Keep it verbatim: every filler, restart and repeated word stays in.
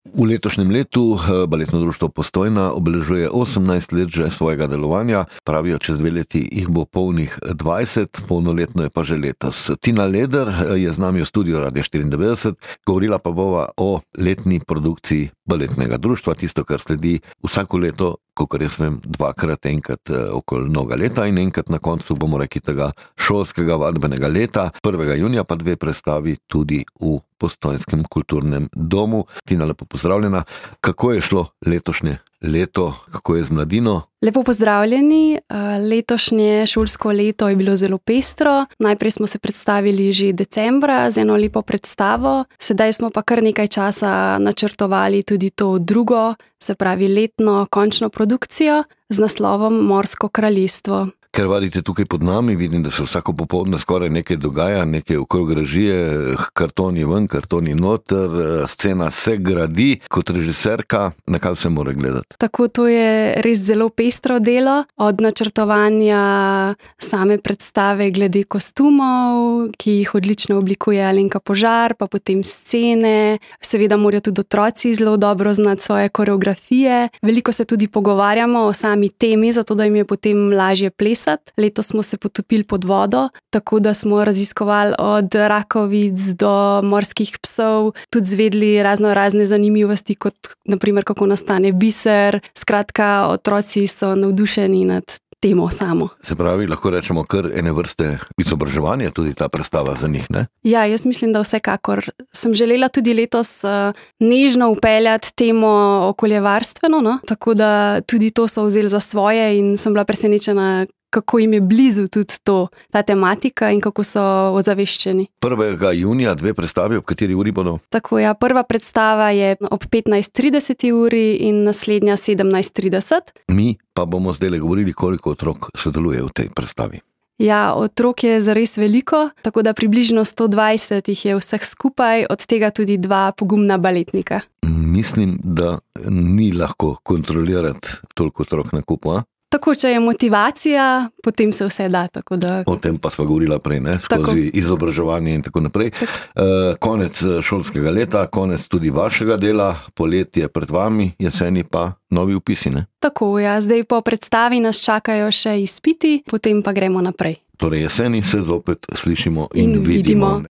V letošnjem letu Baletno društvo Postojna obeležuje osemnajst let že svojega delovanja, pravijo, čez dve leti jih bo polnih dvajset, polnoletno je pa že letos. Tina Leder je z nami v studiu Radia štiriindevetdeset, govorila pa bova o letni produkciji Baletnega društva, tisto, kar sledi vsako leto, kakor jaz vem, dvakrat, enkrat okoli novega leta in enkrat na koncu, bomo rekli, tega šolskega vadbenega leta. prvega junija pa dve predstavi tudi v Postojnskem kulturnem domu. Tina, lepo pozdravljena. Kako je šlo letošnje leto, kako je z mladino? Lepo pozdravljeni. Letošnje šolsko leto je bilo zelo pestro. Najprej smo se predstavili že decembra z eno lepo predstavo, sedaj smo pa kar nekaj časa načrtovali tudi to drugo, se pravi letno končno produkcijo z naslovom Morsko kraljestvo. Ker vadite tukaj pod nami, vidim, da se vsako popoldne skoraj nekaj dogaja, nekaj okrog režije, kartoni ven, kartoni noter, scena se gradi. Kot režiserka, na kaj vse mora gledati? Tako, to je res zelo pestro delo, od načrtovanja same predstave glede kostumov, ki jih odlično oblikuje Alenka Požar, pa potem scene. Seveda morajo tudi otroci zelo dobro znati svoje koreografije. Veliko se tudi pogovarjamo o sami temi, zato da jim je potem lažje plesati. Letos smo se potopili pod vodo, tako da smo raziskovali od rakovic do morskih psov, tudi zvedli razno razne zanimivosti, kot naprimer kako nastane biser. Skratka, otroci so navdušeni nad temo samo. Se pravi, lahko rečemo kar ene vrste izobraževanja, tudi ta predstava za njih, ne? Ja, jaz mislim, da vsekakor. Sem želela tudi letos uh, nežno upeljati temo okoljevarstveno, no? Tako da tudi to so vzeli za svoje in sem bila presenečena, kako jim je blizu tudi to, ta tematika in kako so ozaveščeni. prvega junija dve predstavi, ob kateri uri bodo? Tako, ja, prva predstava je ob petnajst trideset uri in naslednja sedemnajst trideset. Mi pa bomo zdaj govorili, koliko otrok sodeluje v tej predstavi. Ja, otrok je zares veliko, tako da približno sto dvajset jih je vseh skupaj, od tega tudi dva pogumna baletnika. Mislim, da ni lahko kontrolirati toliko otrok na kupu, a? Tako, če je motivacija, potem se vse da. Tako da... O tem pa sva govorila prej, ne? Skozi tako. Izobraževanje in tako naprej. Tako. Uh, konec šolskega leta, konec tudi vašega dela, poletje pred vami, jeseni pa novi vpisi, ne? Tako, ja, zdaj po predstavi nas čakajo še izpiti, potem pa gremo naprej. Torej jeseni se zopet slišimo in, in vidimo. vidimo.